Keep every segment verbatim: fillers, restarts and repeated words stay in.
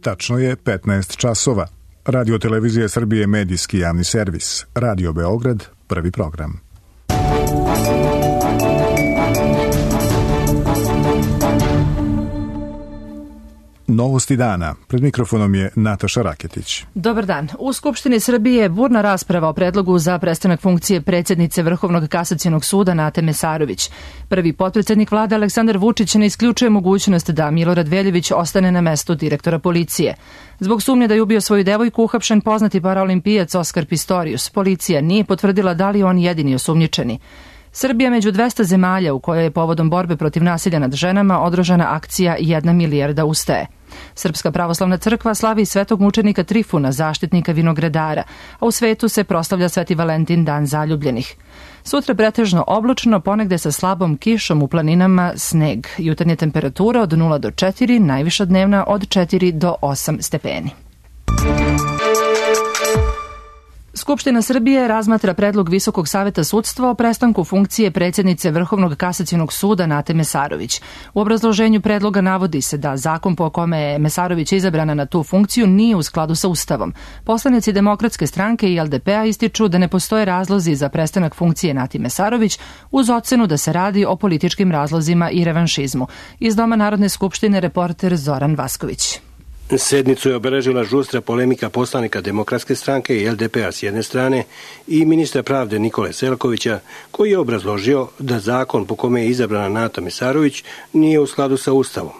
Tačno je petnaest časova. Radio Televizija Srbije medijski javni servis. Radio Beograd, prvi program. Novosti dana. Pred mikrofonom je Nataša Raketić. Dobar dan. U Skupštini Srbije je burna rasprava o predlogu za prestanak funkcije predsjednice Vrhovnog kasacionog suda Nate Mesarović. Prvi potpredsjednik vlade Aleksandar Vučić ne isključuje mogućnost da Milorad Veljević ostane na mestu direktora policije. Zbog sumnje da je ubio svoju devojku uhapšen poznati paraolimpijac Oskar Pistorius. Policija nije potvrdila da li je on jedini osumnjičeni. Srbija među dvesta zemalja u kojoj je povodom borbe protiv nasilja nad ženama održana akcija Jedna milijarda ustaje. Srpska pravoslavna crkva slavi svetog mučenika Trifuna, zaštitnika vinogradara, a u svetu se proslavlja Sveti Valentin, dan zaljubljenih. Sutra pretežno oblačno, ponegde sa slabom kišom, u planinama sneg. Jutarnja temperatura od nula do četiri, najviša dnevna od četiri do osam stepeni. Skupština Srbije razmatra predlog Visokog saveta sudstva o prestanku funkcije predsjednice Vrhovnog kasacionog suda Nate Mesarović. U obrazloženju predloga navodi se da zakon po kome je Mesarović izabrana na tu funkciju nije u skladu sa Ustavom. Poslanici Demokratske stranke i L D P-a ističu da ne postoje razlozi za prestanak funkcije Nati Mesarović uz ocenu da se radi o političkim razlozima i revanšizmu. Iz Doma Narodne skupštine reporter Zoran Vasković. Sednicu je obeležila žustra polemika poslanika Demokratske stranke i L D P-a s jedne strane i ministra pravde Nikole Selakovića, koji je obrazložio da zakon po kome je izabrana Nata Mesarović nije u skladu sa Ustavom.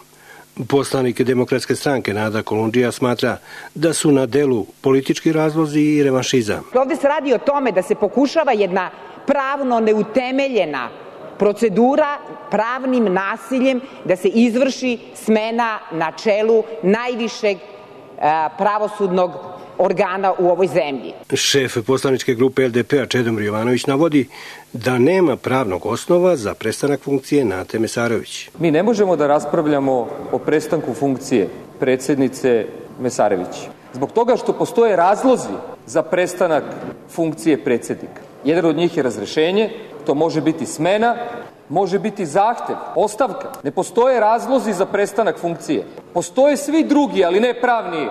Poslanik Demokratske stranke Nada Kolundžija smatra da su na delu politički razlozi i revanšizam. Ovde se radi o tome da se pokušava jedna pravno neutemeljena procedura pravnim nasiljem da se izvrši smena na čelu najvišeg pravosudnog organa u ovoj zemlji. Šef poslaničke grupe L D P-a Čedomir Jovanović navodi da nema pravnog osnova za prestanak funkcije Nate Mesarović. Mi ne možemo da raspravljamo o prestanku funkcije predsjednice Mesarović zbog toga što postoje razlozi za prestanak funkcije predsjednika. Jedan od njih je razrešenje, to može biti smena, može biti zahtev, ostavka. Ne postoje razlozi za prestanak funkcije. Postoje svi drugi, ali ne pravni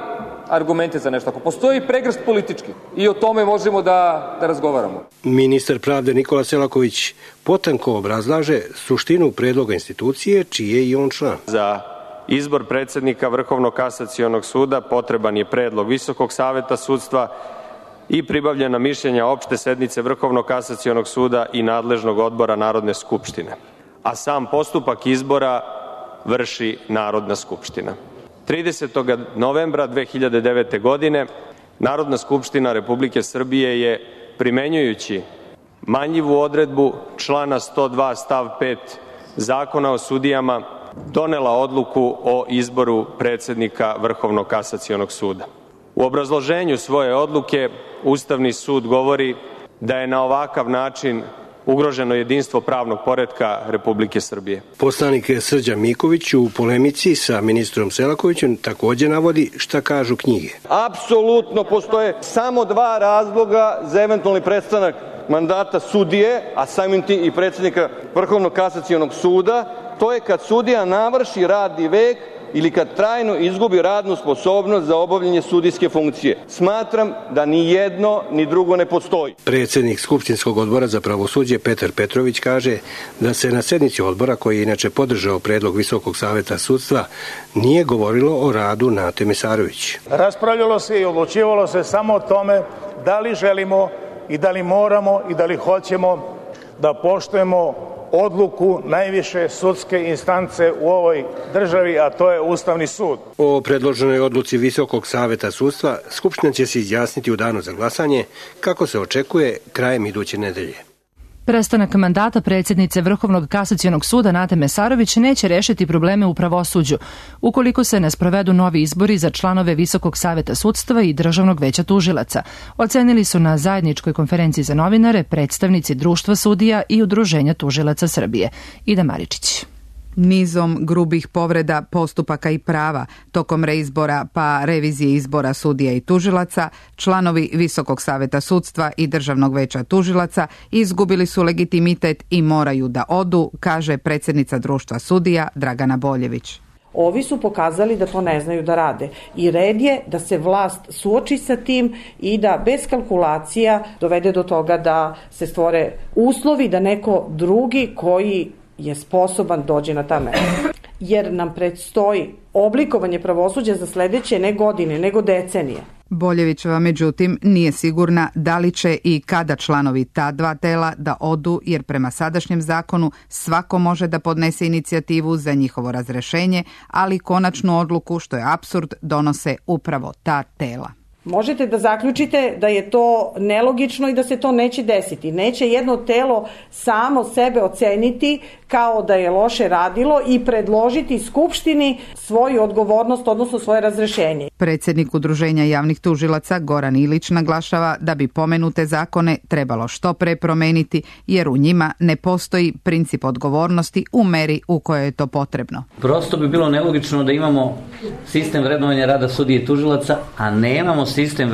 argumente za nešto. Ako postoji pregršt politički i o tome možemo da, da razgovaramo. Ministar pravde Nikola Selaković potanko obrazlaže suštinu predloga institucije čiji je i on član. Za izbor predsjednika Vrhovnog kasacionog suda potreban je predlog Visokog saveta sudstva i pribavljena mišljenja opšte sednice Vrhovnog kasacionog suda i nadležnog odbora Narodne skupštine, a sam postupak izbora vrši Narodna skupština. tridesetog novembra dve hiljade devete. godine Narodna skupština Republike Srbije je, primenjujući manljivu odredbu člana sto dva stav pet Zakona o sudijama, donela odluku o izboru predsjednika Vrhovnog kasacionog suda. U obrazloženju svoje odluke Ustavni sud govori da je na ovakav način ugroženo jedinstvo pravnog poretka Republike Srbije. Poslanik Srđan Miković u polemici sa ministrom Selakovićem također navodi šta kažu knjige. Apsolutno postoje samo dva razloga za eventualni prestanak mandata sudije, a samim tim i predsjednika Vrhovnog kasacionog suda. To je kad sudija navrši radni vek ili kad trajno izgubi radnu sposobnost za obavljanje sudijske funkcije. Smatram da ni jedno ni drugo ne postoji. Predsjednik Skupštinskog odbora za pravosuđe Petar Petrović kaže da se na sednici odbora, koji je inače podržao predlog Visokog saveta sudstva, nije govorilo o radu Nate Mesarović. Raspravljalo se i odlučivalo se samo o tome da li želimo i da li moramo i da li hoćemo da poštujemo odluku najviše sudske instance u ovoj državi, a to je Ustavni sud. O predloženoj odluci Visokog saveta sudstva Skupština će se izjasniti u danu za glasanje, kako se očekuje krajem iduće nedelje. Prestanak mandata predsjednice Vrhovnog kasacionog suda Nate Mesarović neće rešiti probleme u pravosuđu ukoliko se ne sprovedu novi izbori za članove Visokog saveta sudstva i Državnog veća tužilaca, ocenili su na zajedničkoj konferenciji za novinare predstavnici Društva sudija i Udruženja tužilaca Srbije. Ida Maričić. Nizom grubih povreda postupaka i prava tokom reizbora pa revizije izbora sudija i tužilaca, članovi Visokog saveta sudstva i Državnog veća tužilaca izgubili su legitimitet i moraju da odu, kaže predsjednica Društva sudija Dragana Boljević. Ovi su pokazali da to ne znaju da rade. I red je da se vlast suoči sa tim i da bez kalkulacija dovede do toga da se stvore uslovi da neko drugi koji je sposoban dođe na ta mesta. Jer nam predstoji oblikovanje pravosuđa za sledeće ne godine, nego decenije. Boljevićeva, međutim, nije sigurna da li će i kada članovi ta dva tela da odu, jer prema sadašnjem zakonu svako može da podnese inicijativu za njihovo razrešenje, ali konačnu odluku, što je apsurd, donose upravo ta tela. Možete da zaključite da je to nelogično i da se to neće desiti. Neće jedno telo samo sebe oceniti kao da je loše radilo i predložiti Skupštini svoju odgovornost, odnosno svoje razrešenje. Predsjednik Udruženja javnih tužilaca Goran Ilić naglašava da bi pomenute zakone trebalo što pre promeniti, jer u njima ne postoji princip odgovornosti u meri u kojoj je to potrebno. Prosto bi bilo nelogično da imamo sistem vrednovanja rada sudije i tužilaca, a nemamo sistem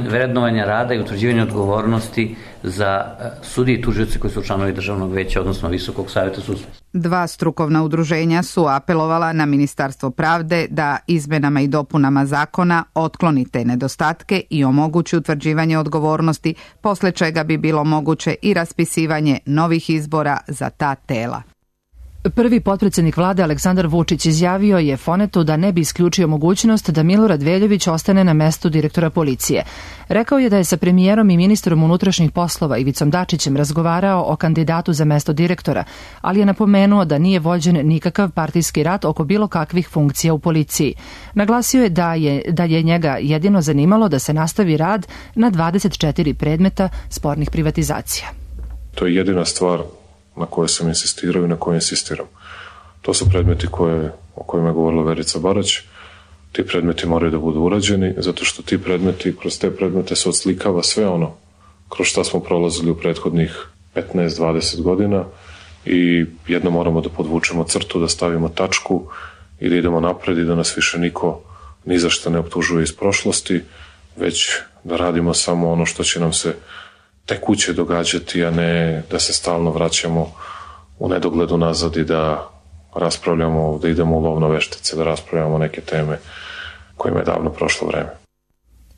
vrednovanja rada i utvrđivanja odgovornosti za sudije i tužioce koji su članovi Državnog veća, odnosno Visokog saveta sudstva. Dva strukovna udruženja su apelovala na Ministarstvo pravde da izmenama i dopunama zakona otkloni te nedostatke i omogući utvrđivanje odgovornosti, posle čega bi bilo moguće i raspisivanje novih izbora za ta tela. Prvi potpredsjednik vlade Aleksandar Vučić izjavio je Fonetu da ne bi isključio mogućnost da Milorad Veljović ostane na mestu direktora policije. Rekao je da je sa premijerom i ministrom unutrašnjih poslova Ivicom Dačićem razgovarao o kandidatu za mesto direktora, ali je napomenuo da nije vođen nikakav partijski rat oko bilo kakvih funkcija u policiji. Naglasio je da je, da je njega jedino zanimalo da se nastavi rad na dvadeset četiri predmeta spornih privatizacija. To je jedina stvar na koje sam insistirao i na koje insistiram. To su predmeti koje, o kojima je govorila Verica Barać. Ti predmeti moraju da budu urađeni, zato što ti predmeti, kroz te predmete se odslikava sve ono kroz šta smo prolazili u prethodnih petnaest dvadeset godina i jedno moramo da podvučemo crtu, da stavimo tačku i da idemo napred i da nas više niko ni za šta ne optužuje iz prošlosti, već da radimo samo ono što će nam se tekuće događati, a ne da se stalno vraćamo u nedogledu nazad i da raspravljamo, da idemo u lovno veštice, da raspravljamo neke teme kojima je davno prošlo vreme.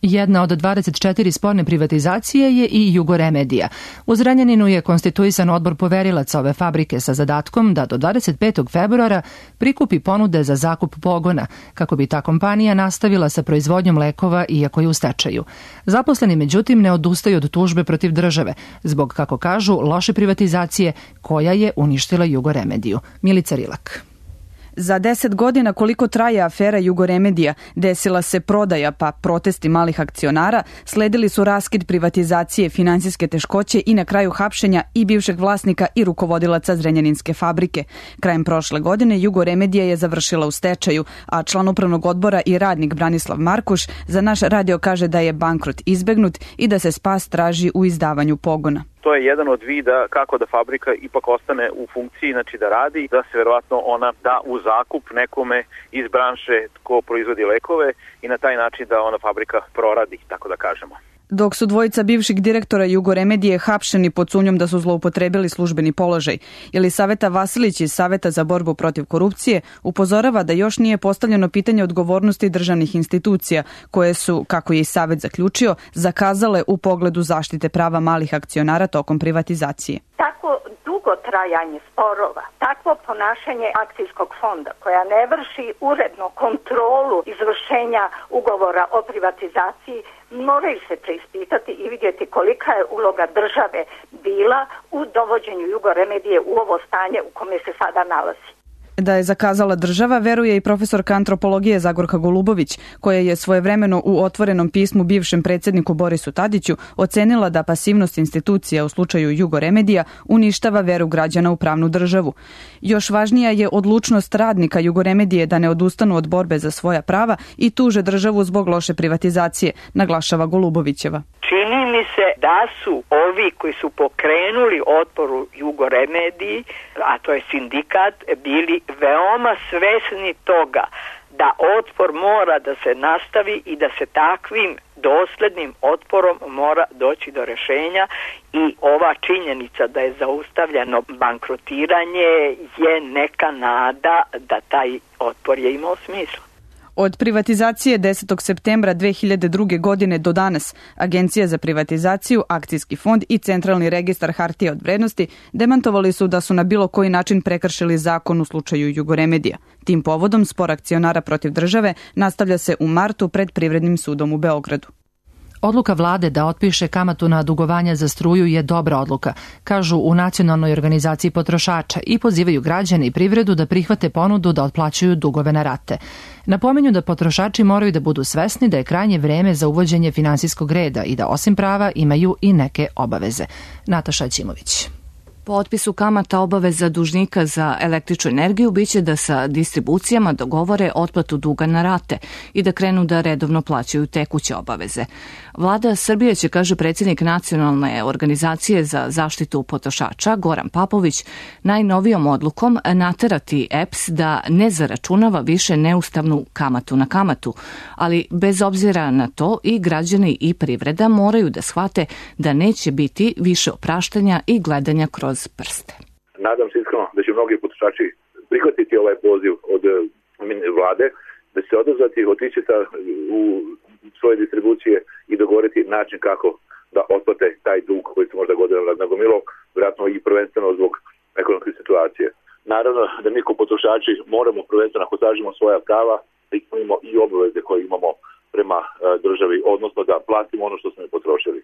Jedna od dvadeset četiri sporne privatizacije je i Jugoremedija. U Zrenjaninu je konstituisan odbor poverilaca ove fabrike sa zadatkom da do dvadeset petog februara prikupi ponude za zakup pogona, kako bi ta kompanija nastavila sa proizvodnjom lekova iako je u stečaju. Zaposleni međutim ne odustaju od tužbe protiv države, zbog, kako kažu, loše privatizacije koja je uništila Jugoremediju. Milica Rilak. Za deset godina koliko traje afera Jugoremedija, desila se prodaja pa protesti malih akcionara, sledili su raskid privatizacije, finansijske teškoće i na kraju hapšenja i bivšeg vlasnika i rukovodilaca Zrenjaninske fabrike. Krajem prošle godine Jugoremedija je završila u stečaju, a član upravnog odbora i radnik Branislav Markuš za naš radio kaže da je bankrot izbegnut i da se spas traži u izdavanju pogona. To je jedan od vida kako da fabrika ipak ostane u funkciji, znači da radi, da se verovatno ona da u zakup nekome iz branše ko proizvodi lekove i na taj način da ona fabrika proradi, tako da kažemo. Dok su dvojica bivših direktora Jugoremedije hapšeni pod sumnjom da su zloupotrebili službeni položaj. Jelisaveta Vasilić iz Saveta za borbu protiv korupcije upozorava da još nije postavljeno pitanje odgovornosti državnih institucija, koje su, kako je i Savet zaključio, zakazale u pogledu zaštite prava malih akcionara tokom privatizacije. Tako dugo trajanje sporova, takvo ponašanje akcijskog fonda koja ne vrši uredno kontrolu izvršenja ugovora o privatizaciji, moraju se preispitati i vidjeti kolika je uloga države bila u dovođenju Jugoremedije u ovo stanje u kome se sada nalazi. Da je zakazala država, veruje i profesorka antropologije Zagorka Golubović, koja je svojevremeno u otvorenom pismu bivšem predsjedniku Borisu Tadiću ocenila da pasivnost institucija u slučaju Jugoremedija uništava veru građana u pravnu državu. Još važnija je odlučnost radnika Jugoremedije da ne odustanu od borbe za svoja prava i tuže državu zbog loše privatizacije, naglašava Golubovićeva. Čini mi se da su ovi koji su pokrenuli otpor u Jugoremediji, a to je sindikat, bili veoma svesni toga da otpor mora da se nastavi i da se takvim doslednim otporom mora doći do rešenja i ova činjenica da je zaustavljeno bankrotiranje je neka nada da taj otpor je imao smisla. Od privatizacije desetog septembra dve hiljade druge. godine do danas Agencija za privatizaciju, Akcijski fond i Centralni registar hartija od vrednosti demantovali su da su na bilo koji način prekršili zakon u slučaju Jugoremedija. Tim povodom spor akcionara protiv države nastavlja se u martu pred Privrednim sudom u Beogradu. Odluka vlade da otpiše kamatu na dugovanja za struju je dobra odluka, kažu u Nacionalnoj organizaciji potrošača i pozivaju građane i privredu da prihvate ponudu da otplaćuju dugove na rate. Napominju da potrošači moraju da budu svesni da je krajnje vreme za uvođenje finansijskog reda i da osim prava imaju i neke obaveze. Nataša Ćimović. Po otpisu kamata obaveza dužnika za električnu energiju biće da sa distribucijama dogovore otplatu duga na rate i da krenu da redovno plaćaju tekuće obaveze. Vlada Srbije će, kaže predsjednik Nacionalne organizacije za zaštitu potrošača Goran Papović, najnovijom odlukom naterati E P S da ne zaračunava više neustavnu kamatu na kamatu, ali bez obzira na to i građani i privreda moraju da shvate da neće biti više opraštanja i gledanja kroz prste. Nadam se iskreno da će mnogi potrošači prihvatiti ovaj poziv od vlade, da će se odazvati, otići u svoje distribucije i dogovoriti način kako da otplate taj dug koji se možda godinama nagomilao, vjerojatno i prvenstveno zbog ekonomske situacije. Naravno da mi kao potrošači moramo prvenstveno, ako tražimo svoja prava, da imamo i obaveze koje imamo prema državi, odnosno da platimo ono što smo i potrošili.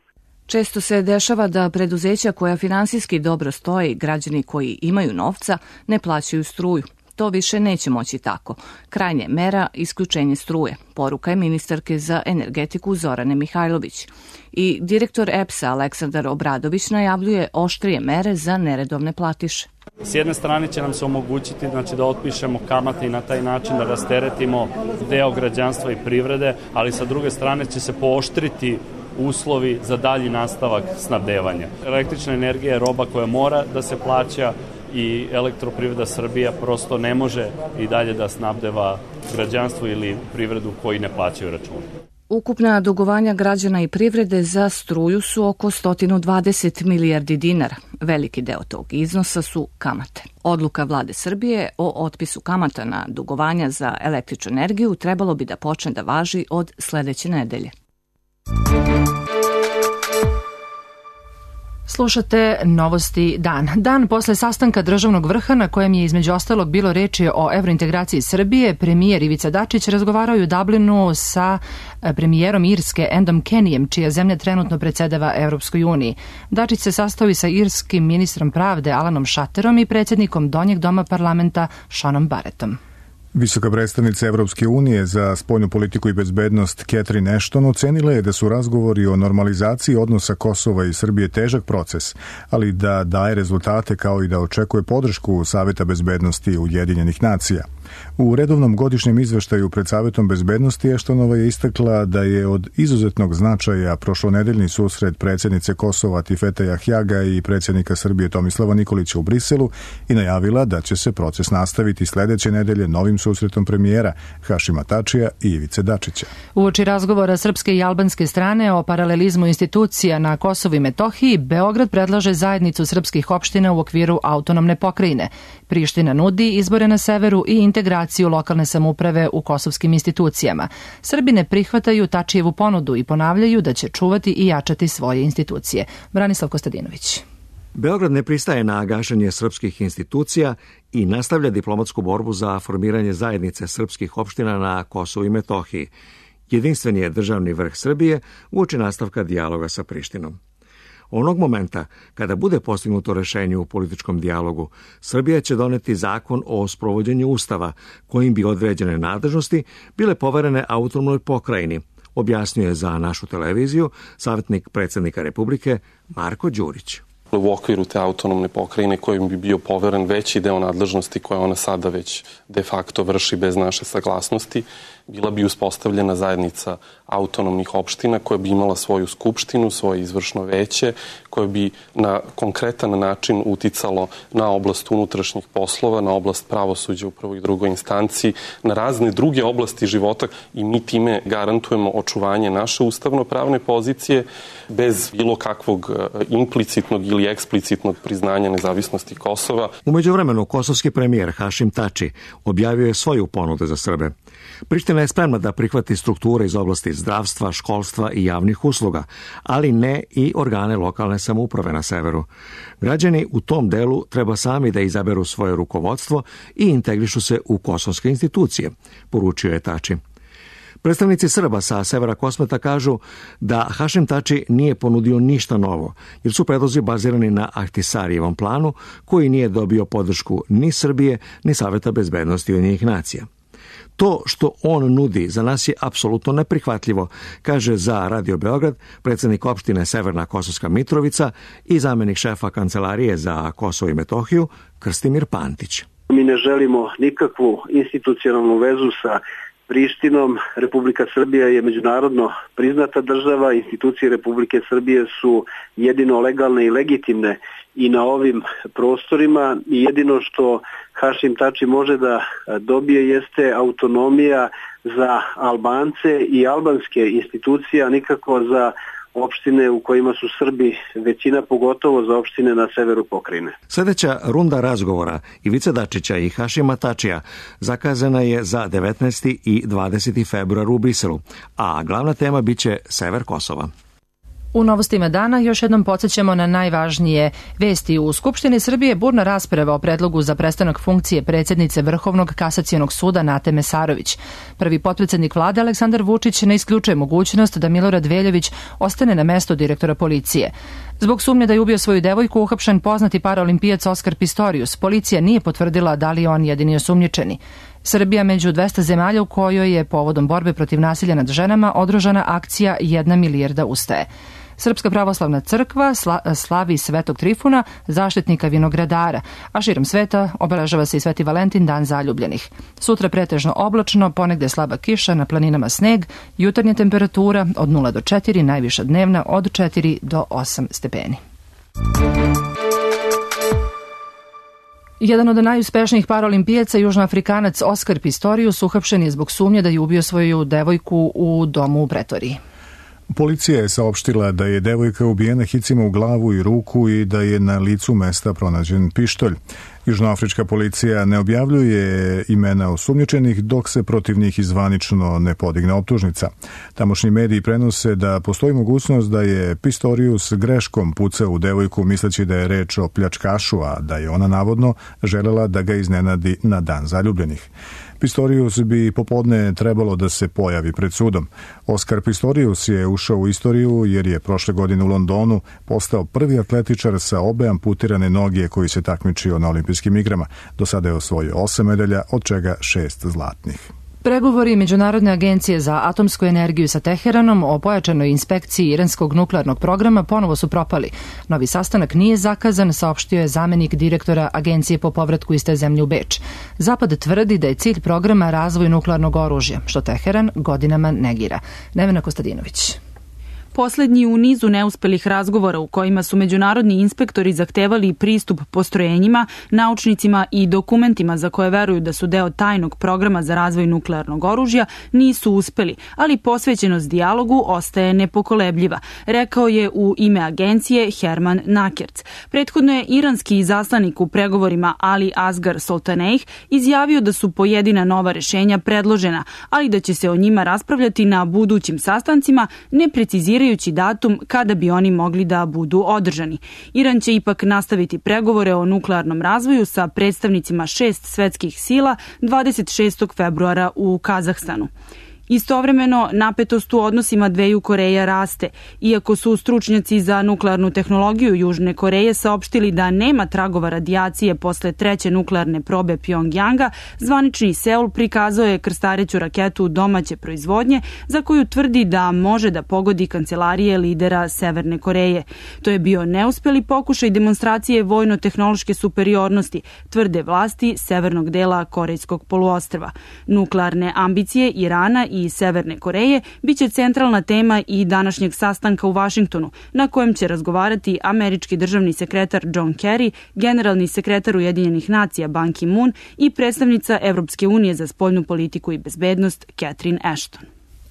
Često se dešava da preduzeća koja finansijski dobro stoje i građani koji imaju novca ne plaćaju struju. To više neće moći tako. Krajnje mera isključenje struje. Poruka je ministarke za energetiku Zorane Mihajlović. I direktor E P S-a Aleksandar Obradović najavljuje oštrije mere za neredovne platiše. S jedne strane će nam se omogućiti znači, da otpišemo kamate i na taj način da rasteretimo deo građanstva i privrede, ali sa druge strane će se pooštriti uslovi za dalji nastavak snabdevanja. Električna energija je roba koja mora da se plaća i Elektroprivreda Srbija prosto ne može i dalje da snabdeva građanstvo ili privredu koji ne plaćaju račune. Ukupna dugovanja građana i privrede za struju su oko sto dvadeset milijardi dinara. Veliki deo tog iznosa su kamate. Odluka vlade Srbije o otpisu kamata na dugovanja za električnu energiju trebalo bi da počne da važi od sledeće nedelje. Slušate Novosti dan. Dan posle sastanka državnog vrha na kojem je između ostalog bilo reči o evrointegraciji Srbije, premijer Ivica Dačić razgovarao je u Dublinu sa premijerom Irske Endom Kenijem, čija zemlja trenutno predsedava Evropskoj uniji. Dačić se sastao i sa irskim ministrom pravde Alanom Šaterom i predsjednikom Donjeg doma parlamenta Seanom Barrettom. Visoka predstavnica Evropske unije za spoljnu politiku i bezbednost Catherine Ashton ocenila je da su razgovori o normalizaciji odnosa Kosova i Srbije težak proces, ali da daje rezultate kao i da očekuje podršku Saveta bezbednosti Ujedinjenih nacija. U redovnom godišnjem izveštaju pred Savetom bezbednosti Ashtonova je istakla da je od izuzetnog značaja prošlonedeljni susret predsjednice Kosova Tifete Jahjaga i predsjednika Srbije Tomislava Nikolića u Briselu i najavila da će se proces nastaviti sledeće nedelje novim susretom premijera Hašima Tačija i Ivice Dačića. Uoči razgovora srpske i albanske strane o paralelizmu institucija na Kosovu i Metohiji, Beograd predlaže zajednicu srpskih opština u okviru autonomne pokrajine. Priština nudi izbore na severu i integraciju lokalne samouprave u kosovskim institucijama. Srbi ne prihvataju Tačijevu ponudu i ponavljaju da će čuvati i jačati svoje institucije. Branislav Kostadinović. Beograd ne pristaje na gašenje srpskih institucija i nastavlja diplomatsku borbu za formiranje zajednice srpskih opština na Kosovu i Metohiji. Jedinstven je državni vrh Srbije uoči nastavka dijaloga sa Prištinom. Onog momenta, kada bude postignuto rešenje u političkom dijalogu, Srbija će doneti zakon o sprovođenju Ustava, kojim bi određene nadležnosti bile poverene autonomnoj pokrajini, objasnio je za našu televiziju savjetnik predsjednika Republike Marko Đurić. U okviru te autonomne pokrajine kojim bi bio poveren veći deo nadležnosti koje ona sada već de facto vrši bez naše saglasnosti, bila bi uspostavljena zajednica autonomnih opština koja bi imala svoju skupštinu, svoje izvršno veće, koje bi na konkretan način uticalo na oblast unutrašnjih poslova, na oblast pravosuđa u prvoj i drugoj instanciji, na razne druge oblasti života i mi time garantujemo očuvanje naše ustavno-pravne pozicije bez bilo kakvog implicitnog ili eksplicitnog priznanja nezavisnosti Kosova. U međuvremenu, kosovski premijer Hašim Tači objavio je svoju ponudu za Srbe. Priština je spremna da prihvati strukture iz oblasti zdravstva, školstva i javnih usluga, ali ne i organe lokalne samouprave na severu. Građani u tom delu treba sami da izaberu svoje rukovodstvo i integrišu se u kosovske institucije, poručio je Tači. Predstavnici Srba sa severa Kosmeta kažu da Hašim Tači nije ponudio ništa novo, jer su predlozi bazirani na Ahtisarijevom planu, koji nije dobio podršku ni Srbije, ni Saveta bezbednosti Ujedinjenih nacija. To što on nudi za nas je apsolutno neprihvatljivo, kaže za Radio Beograd predsjednik opštine Severna Kosovska Mitrovica i zamenik šefa Kancelarije za Kosovo i Metohiju Krstimir Pantić. Mi ne želimo nikakvu institucionalnu vezu sa Prištinom. Republika Srbija je međunarodno priznata država, institucije Republike Srbije su jedino legalne i legitimne i na ovim prostorima i jedino što Hašim Tači može da dobije jeste autonomija za Albance i albanske institucije, a nikako za opštine u kojima su Srbi većina, pogotovo za opštine na severu pokrajine. Sljedeća runda razgovora Ivice Dačića i Hašima Tačija zakazana je za devetnaesti i dvadeseti februar u Briselu, a glavna tema biće sever Kosova. U novostima dana još jednom podsjećamo na najvažnije vesti. U Skupštini Srbije burna rasprava o predlogu za prestanak funkcije predsjednice Vrhovnog kasacionog suda Nate Mesarović. Prvi potpredsjednik vlade Aleksandar Vučić ne isključuje mogućnost da Milorad Veljović ostane na mesto direktora policije. Zbog sumnje da je ubio svoju devojku uhapšen poznati paraolimpijac Oskar Pistorius. Policija nije potvrdila da li je on jedini osumnjičeni. Srbija među dvesta zemalja u kojoj je povodom borbe protiv nasilja nad ženama održana akcija Jedna milijarda ustaje. Srpska pravoslavna crkva slavi Svetog Trifuna, zaštitnika vinogradara, a širom sveta obeležava se i Sveti Valentin, dan zaljubljenih. Sutra pretežno oblačno, ponegde slaba kiša, na planinama sneg, jutarnja temperatura od nula do četiri, najviša dnevna od četiri do osam stepeni. Jedan od najuspešnijih paraolimpijaca, južnoafrikanac Oskar Pistorius, uhapšen je zbog sumnje da je ubio svoju devojku u domu u Pretoriji. Policija je saopštila da je devojka ubijena hicima u glavu i ruku i da je na licu mesta pronađen pištolj. Južnoafrička policija ne objavljuje imena osumnjičenih dok se protiv njih izvanično ne podigne optužnica. Tamošnji mediji prenose da postoji mogućnost da je Pistorius greškom pucao u devojku misleći da je reč o pljačkašu, a da je ona navodno želela da ga iznenadi na dan zaljubljenih. Pistorius bi popodne trebalo da se pojavi pred sudom. Oskar Pistorius je ušao u istoriju jer je prošle godine u Londonu postao prvi atletičar sa obe amputirane noge koji se takmičio na olimpijskim igrama. Do sada je osvojio osam medalja, od čega šest zlatnih. Pregovori Međunarodne agencije za atomsku energiju sa Teheranom o pojačanoj inspekciji iranskog nuklearnog programa ponovo su propali. Novi sastanak nije zakazan, saopštio je zamenik direktora Agencije po povratku iz te zemlje u Beč. Zapad tvrdi da je cilj programa razvoj nuklearnog oružja, što Teheran godinama negira. Nevena Kostadinović. Poslednji u nizu neuspelih razgovora u kojima su međunarodni inspektori zahtevali pristup postrojenjima, naučnicima i dokumentima za koje veruju da su deo tajnog programa za razvoj nuklearnog oružja nisu uspeli, ali posvećenost dijalogu ostaje nepokolebljiva, rekao je u ime agencije Herman Nakerc. Prethodno je iranski izaslanik u pregovorima Ali Asgar Soltaneih izjavio da su pojedina nova rešenja predložena, ali da će se o njima raspravljati na budućim sastancima, ne precizirajući datum kada bi oni mogli da budu održani. Iran će ipak nastaviti pregovore o nuklearnom razvoju sa predstavnicima šest svetskih sila dvadeset šestog februara u Kazahstanu. Istovremeno, napetost u odnosima dveju Koreja raste. Iako su stručnjaci za nuklearnu tehnologiju Južne Koreje saopštili da nema tragova radijacije posle treće nuklearne probe Pjongjanga, zvanični Seul prikazao je krstareću raketu domaće proizvodnje za koju tvrdi da može da pogodi kancelarije lidera Severne Koreje. To je bio neuspeli pokušaj demonstracije vojno-tehnološke superiornosti, tvrde vlasti severnog dela Korejskog poluostrva. Nuklearne ambicije Irana i Severne Koreje biće centralna tema i današnjeg sastanka u Vašingtonu, na kojem će razgovarati američki državni sekretar John Kerry, generalni sekretar Ujedinjenih nacija Ban Ki-moon i predstavnica Evropske unije za spoljnu politiku i bezbednost Catherine Ashton.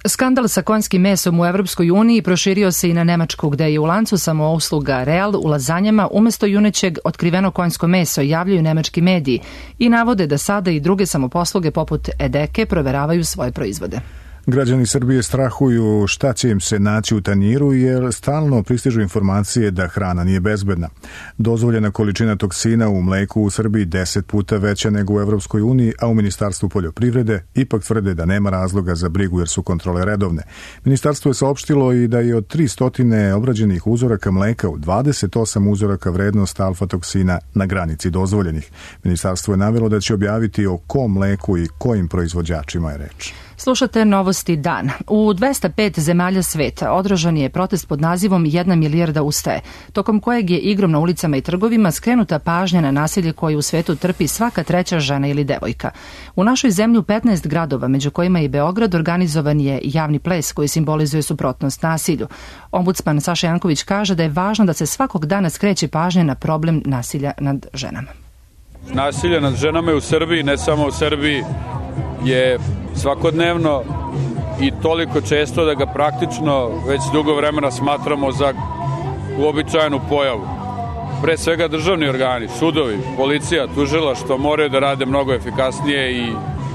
Skandal sa konjskim mesom u Evropskoj uniji proširio se i na Nemačku, gde je u lancu samousluga Real u lazanjama umesto junećeg otkriveno konjsko meso, javljaju nemački mediji i navode da sada i druge samoposluge poput Edeke proveravaju svoje proizvode. Građani Srbije strahuju šta će im se naći u tanjiru jer stalno pristižu informacije da hrana nije bezbedna. Dozvoljena količina toksina u mleku u Srbiji deset puta veća nego u Evropskoj uniji, a u Ministarstvu poljoprivrede ipak tvrde da nema razloga za brigu jer su kontrole redovne. Ministarstvo je saopštilo i da je od tristo obrađenih uzoraka mleka u dvadeset osam uzoraka vrednost alfa-toksina na granici dozvoljenih. Ministarstvo je navelo da će objaviti o kom mleku i kojim proizvođačima je reč. Slušate Novosti dana. U dvesta pet zemalja sveta održan je protest pod nazivom Jedna milijarda ustaje, tokom kojeg je igrom na ulicama i trgovima skrenuta pažnja na nasilje koje u svetu trpi svaka treća žena ili devojka. U našoj zemlji u petnaest gradova, među kojima i Beograd, organizovan je javni ples koji simbolizuje suprotnost nasilju. Ombudsman Saša Janković kaže da je važno da se svakog dana skreće pažnja na problem nasilja nad ženama. Nasilje nad ženama je u Srbiji, ne samo u Srbiji, je svakodnevno i toliko često da ga praktično već dugo vremena smatramo za uobičajenu pojavu. Pre svega državni organi, sudovi, policija, tužilaštvo moraju da rade mnogo efikasnije i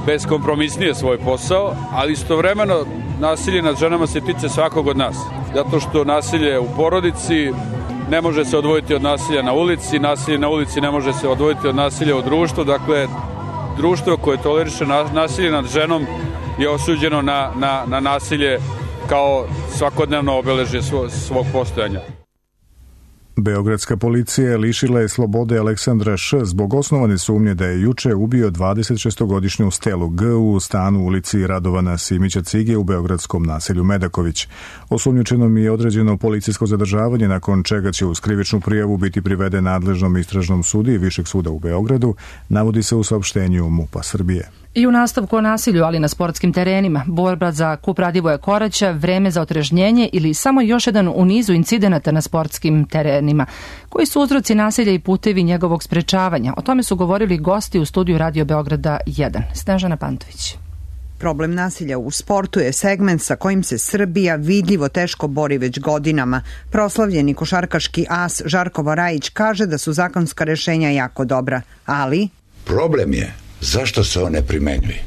beskompromisnije svoj posao, ali istovremeno nasilje nad ženama se tiče svakog od nas. Zato što nasilje u porodici ne može se odvojiti od nasilja na ulici, nasilje na ulici ne može se odvojiti od nasilja u društvu, dakle društvo koje toleriše nasilje nad ženom je osuđeno na, na, na nasilje kao svakodnevno obeležje svog, svog postojanja. Beogradska policija lišila je slobode Aleksandra Š. zbog osnovane sumnje da je juče ubio dvadesetšestogodišnju Stelu G. u stanu u ulici Radovana Simića Cige u beogradskom naselju Medaković. Osumnjičenom je određeno policijsko zadržavanje, nakon čega će uz krivičnu prijavu biti priveden nadležnom istražnom sudiji Višeg suda u Beogradu, navodi se u saopštenju MUP-a Srbije. I u nastavku o nasilju, ali na sportskim terenima, borba za kup Radivoja Koraća, vreme za otrežnjenje ili samo još jedan u nizu incidenata na sportskim terenima. Koji su uzroci nasilja i putevi njegovog sprečavanja? O tome su govorili gosti u studiju Radio Beograda jedan. Snežana Pantović. Problem nasilja u sportu je segment sa kojim se Srbija vidljivo teško bori već godinama. Proslavljeni košarkaški as Žarko Varajić kaže da su zakonska rešenja jako dobra, ali... Problem je zašto se on ne primenjuje.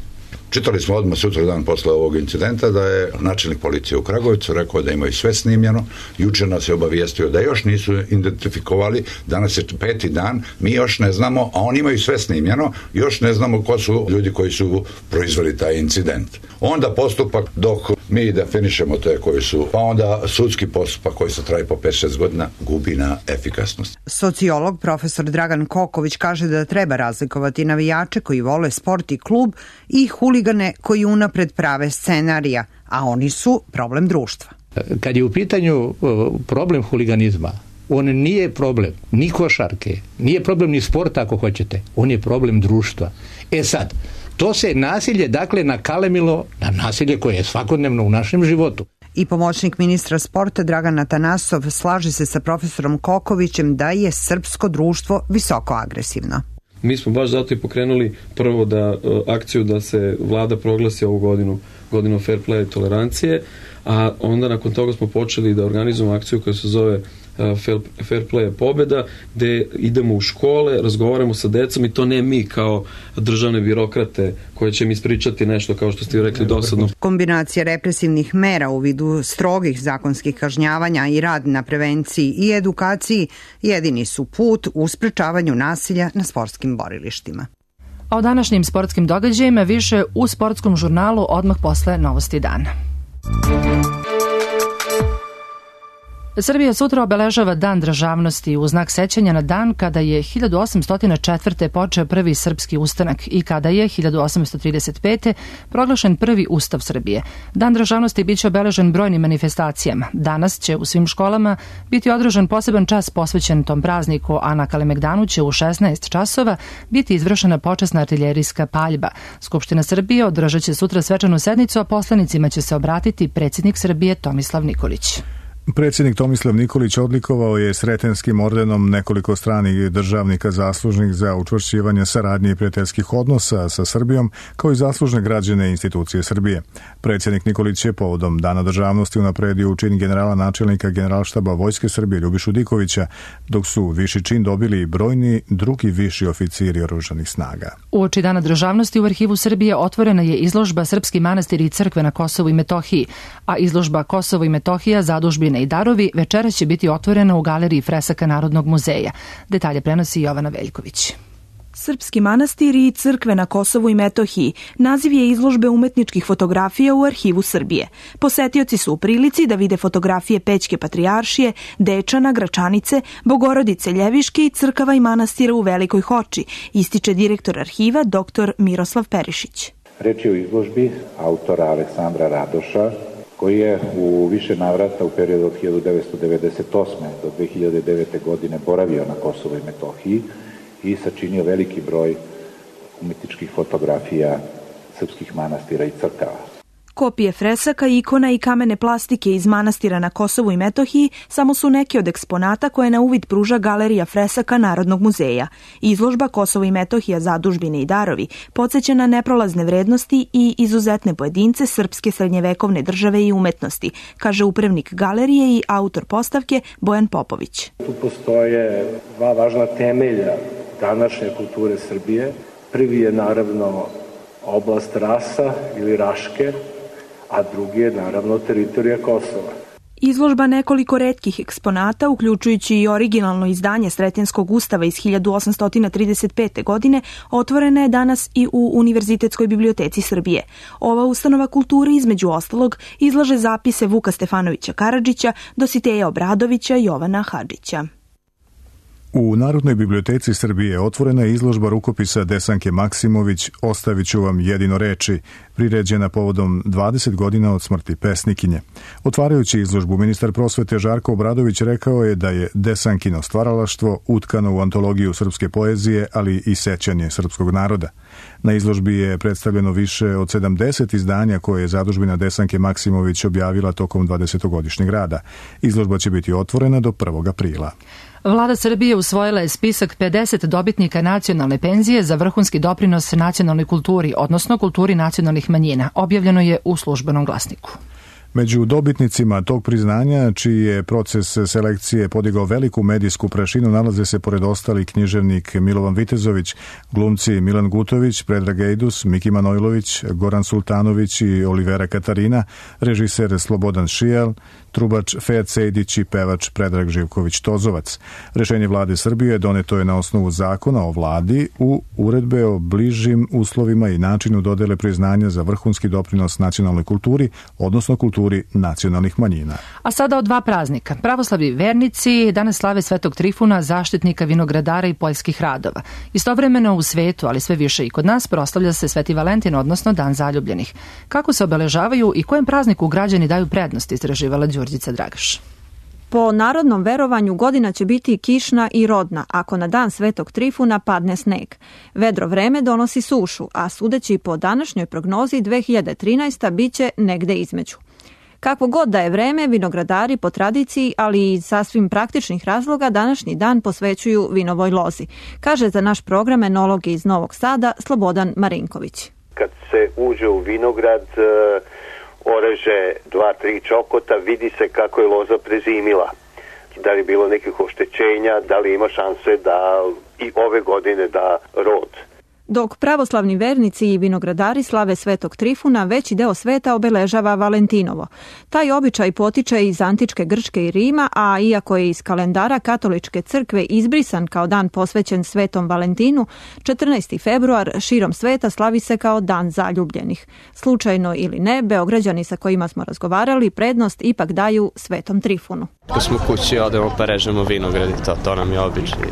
Čitali smo odmah sutra dan posle ovog incidenta da je načelnik policije u Kragujevcu rekao da imaju sve snimljeno, juče nas je obavijestio da još nisu identifikovali, danas je peti dan, mi još ne znamo, a oni imaju sve snimljeno, još ne znamo ko su ljudi koji su proizveli taj incident. Onda postupak dok mi definišemo te koji su, pa onda sudski postupak koji se traje po pet šest godina gubi na efikasnosti. Sociolog profesor Dragan Koković kaže da treba razlikovati navijače koji vole sport i klub i huligane koji unapred prave scenarija, a oni su problem društva. Kad je u pitanju problem huliganizma, on nije problem ni košarke, nije problem ni sporta ako hoćete, on je problem društva. E sad, to se nasilje dakle nakalemilo na nasilje koje je svakodnevno u našem životu. I pomoćnik ministra sporta Dragan Atanasov slaže se sa profesorom Kokovićem da je srpsko društvo visoko agresivno. Mi smo baš zato i pokrenuli prvo da akciju da se vlada proglasi ovu godinu, godinu fair play i tolerancije, a onda nakon toga smo počeli da organizujemo akciju koja se zove Fair Play je pobeda, gde idemo u škole, razgovaramo sa decom i to ne mi kao državne birokrate koje će mi ispričati nešto kao što ste rekli dosadno. Kombinacija represivnih mera u vidu strogih zakonskih kažnjavanja i rad na prevenciji i edukaciji jedini su put u sprečavanju nasilja na sportskim borilištima. A o današnjim sportskim događajima više u sportskom žurnalu odmah posle novosti dana. Srbija sutra obeležava Dan državnosti u znak sećanja na dan kada je hiljadu osamsto četvrte. počeo prvi srpski ustanak i kada je hiljadu osamsto trideset pete. proglašen prvi ustav Srbije. Dan državnosti biće obeležen brojnim manifestacijama. Danas će u svim školama biti održan poseban čas posvećen tom prazniku, a na Kalemegdanu će u šesnaest časova biti izvršena počasna artiljerijska paljba. Skupština Srbije održat će sutra svečanu sednicu, a poslanicima će se obratiti predsjednik Srbije Tomislav Nikolić. Predsjednik Tomislav Nikolić odlikovao je Sretenskim ordenom nekoliko stranih državnika zaslužnih za učvršćivanje saradnje i prijateljskih odnosa sa Srbijom, kao i zaslužne građane institucije Srbije. Predsjednik Nikolić je povodom Dana državnosti unapredio u čin generala načelnika Generalštaba Vojske Srbije Ljubišu Dikovića, dok su viši čin dobili brojni drugi viši oficiri oružanih snaga. Uoči Dana državnosti u Arhivu Srbije otvorena je izložba Srpski manastiri i crkve na Kosovu i Metohiji, a izložba Kosovo i Metohija, zadužbine i darovi večeras će biti otvorena u galeriji fresaka Narodnog muzeja. Detalje prenosi Jovana Veljković. Srpski manastiri i crkve na Kosovu i Metohiji naziv je izložbe umetničkih fotografija u Arhivu Srbije. Posetioci su u prilici da vide fotografije Pećke patrijaršije, Dečana, Gračanice, Bogorodice Ljeviške i crkava i manastira u Velikoj Hoči, ističe direktor arhiva dr. Miroslav Perišić. Reč je o izložbi autora Aleksandra Radoša, koji je u više navrata u periodu od hiljadu devetsto devedeset osme. do dve hiljade devete. godine boravio na Kosovu i Metohiji i sačinio veliki broj umetničkih fotografija srpskih manastira i crkava. Kopije fresaka, ikona i kamene plastike iz manastira na Kosovu i Metohiji samo su neki od eksponata koje na uvid pruža galerija fresaka Narodnog muzeja. Izložba Kosovo i Metohija, zadužbine i darovi podsjeća na neprolazne vrednosti i izuzetne pojedince srpske srednjevekovne države i umetnosti, kaže upravnik galerije i autor postavke Bojan Popović. Tu postoje dva važna temelja današnje kulture Srbije. Prvi je naravno oblast Rasa ili Raške, a drugi je naravno teritorija Kosova. Izložba nekoliko retkih eksponata, uključujući i originalno izdanje Sretenskog ustava iz hiljadu osamsto trideset pete. godine, otvorena je danas i u Univerzitetskoj biblioteci Srbije. Ova ustanova kulture, između ostalog, izlaže zapise Vuka Stefanovića Karadžića, Dositeja Obradovića i Jovana Hadžića. U Narodnoj biblioteci Srbije otvorena je izložba rukopisa Desanke Maksimović "Ostavit ću vam jedino reči", priređena povodom dvadeset godina od smrti pesnikinje. Otvarajući izložbu, ministar prosvete Žarko Obradović rekao je da je Desankino stvaralaštvo utkano u antologiju srpske poezije, ali i sećanje srpskog naroda. Na izložbi je predstavljeno više od sedamdeset izdanja koje je zadužbina Desanke Maksimović objavila tokom dvadesetogodišnjeg rada. Izložba će biti otvorena do prvog aprila. Vlada Srbije usvojila je spisak pedeset dobitnika nacionalne penzije za vrhunski doprinos nacionalnoj kulturi, odnosno kulturi nacionalnih manjina. Objavljeno je u Službenom glasniku. Među dobitnicima tog priznanja, čiji je proces selekcije podigao veliku medijsku prašinu, nalaze se pored ostali književnik Milovan Vitezović, glumci Milan Gutović, Predrag Ejdus, Miki Manojlović, Goran Sultanović i Olivera Katarina, režiser Slobodan Šijal, trubač Fejat Sejdić i pevač Predrag Živković-Tozovac. Rešenje vlade Srbije doneto je na osnovu zakona o vladi u uredbe o bližim uslovima i načinu dodele priznanja za vrhunski doprinos nacionalnoj kulturi, odnosno kulturi nacionalnih manjina. A sada o dva praznika. Pravoslavni vernici danas slave Svetog Trifuna, zaštitnika vinogradara i poljskih radova. Istovremeno u svetu, ali sve više i kod nas, proslavlja se Sveti Valentin, odnosno Dan zaljubljenih. Kako se obeležavaju i kojem prazniku građani daju prednost, istraživala Đurđica Dragaš. Po narodnom verovanju godina će biti kišna i rodna ako na dan Svetog Trifuna padne sneg. Vedro vreme donosi sušu, a sudeći po današnjoj prognozi dve hiljade trinaeste. biće negde između. Kakvo god da je vreme, vinogradari po tradiciji, ali i sasvim praktičnih razloga, današnji dan posvećuju vinovoj lozi, kaže za naš program enolog iz Novog Sada Slobodan Marinković. Kad se uđe u vinograd, oreže dva, tri čokota, vidi se kako je loza prezimila. Da li je bilo nekih oštećenja, da li ima šanse da i ove godine da rod. Dok pravoslavni vernici i vinogradari slave Svetog Trifuna, veći deo sveta obeležava Valentinovo. Taj običaj potiče iz antičke Grčke i Rima, a iako je iz kalendara katoličke crkve izbrisan kao dan posvećen Svetom Valentinu, četrnaesti februar širom sveta slavi se kao dan zaljubljenih. Slučajno ili ne, Beograđani sa kojima smo razgovarali prednost ipak daju Svetom Trifunu. Ko smo kući, odemo pa režemo vinograd i to, to nam je običaj.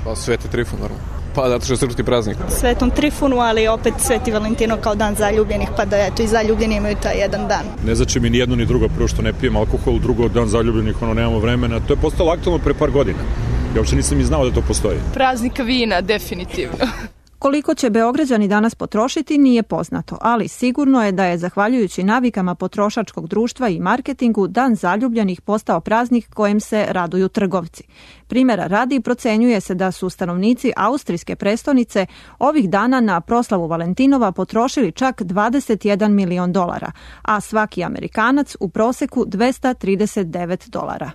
Pa Sveti Trifun, naravno. Pa zato što je srpski praznik. Svetom Trifunu, ali opet Sveti Valentino kao dan zaljubljenih, pa da eto i zaljubljeni imaju taj jedan dan. Ne znači mi ni jedno ni drugo, prvo što ne pijem alkohol, drugo dan zaljubljenih, ono nemamo vremena. To je postalo aktualno pre par godina. Ja uopšte nisam ni znao da to postoji. Praznik vina, definitivno. Koliko će Beograđani danas potrošiti nije poznato, ali sigurno je da je zahvaljujući navikama potrošačkog društva i marketingu dan zaljubljenih postao praznik kojem se raduju trgovci. Primjera radi procenjuje se da su stanovnici austrijske prestonice ovih dana na proslavu Valentinova potrošili čak dvadeset jedan milion dolara, a svaki Amerikanac u proseku dvesta trideset devet dolara.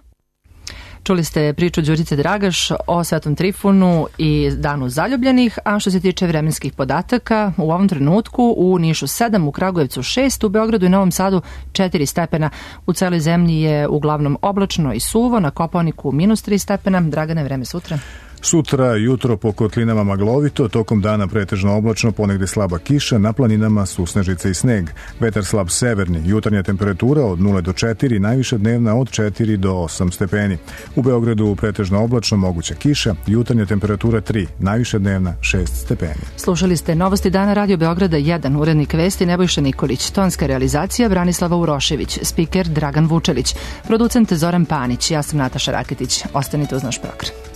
Čuli ste priču Đurice Dragaš o Svetom Trifunu i danu zaljubljenih, a što se tiče vremenskih podataka, u ovom trenutku u Nišu sedam, u Kragujevcu šest, u Beogradu i Novom Sadu četiri stepena. U celoj zemlji je uglavnom oblačno i suvo, na Kopaoniku minus tri stepena. Dragane, vreme sutra. Sutra jutro po kotlinama maglovito, tokom dana pretežno oblačno, ponegde slaba kiša, na planinama susnežice i sneg. Vetar slab severni, jutarnja temperatura od nula do četiri, najviša dnevna od četiri do osam stepeni. U Beogradu pretežno oblačno, moguća kiša, jutarnja temperatura tri, najviša dnevna šest stepeni. Slušali ste Novosti dana Radio Beograda jedan, urednik vesti Nebojša Nikolić, tonska realizacija Branislava Urošević, spiker Dragan Vučelić, producent Zoran Panić, ja sam Nataša Raketić. Ostanite uz naš program.